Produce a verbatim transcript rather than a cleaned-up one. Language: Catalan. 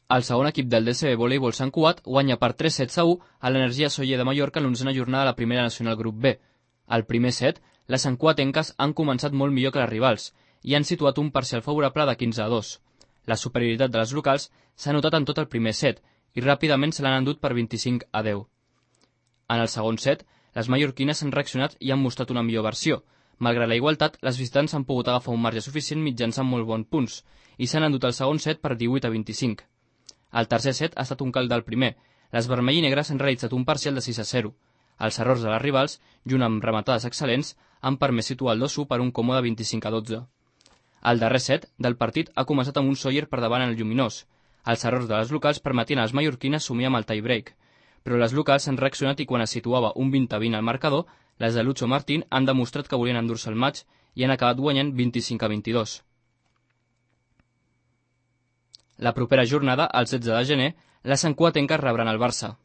El segon equip del D C B Voleibol Sant Cugat guanya per tres sets a u a l'Energia Soller de Mallorca en l'onzena jornada de la Primera Nacional Grup B. Al primer set, les santcugatenques han començat molt millor que les rivals i han situat un parcial favorable de quinze a dos. La superioritat de les locals s'ha notat en tot el primer set i ràpidament se l'han endut per vint-i-cinc a deu. En el segon set, les mallorquines han reaccionat i han mostrat una millor versió. Malgrat la igualtat, les visitants han pogut agafar un marge suficient mitjançant molt bons punts i s'han endut el segon set per divuit a vint-i-cinc. El tercer set ha estat un calc del primer. Les vermell i negres han realitzat un parcial de sis a zero. Els errors de les rivals, junt amb rematades excel·lents, han permès situar el dos a u per un còmode vint-i-cinc a dotze. El darrer set del partit ha començat amb un Sóller per davant en el lluminós. Els errors de les locals permetien a les mallorquines sumir amb el tie-break, però les locals han reaccionat i quan es situava un vint a vint al marcador, les de Lucho Martín han demostrat que volien endur-se el maig i han acabat guanyant vint-i-cinc a vint-i-dos. La propera jornada, el setze de gener, les santcugatenques rebran el Barça.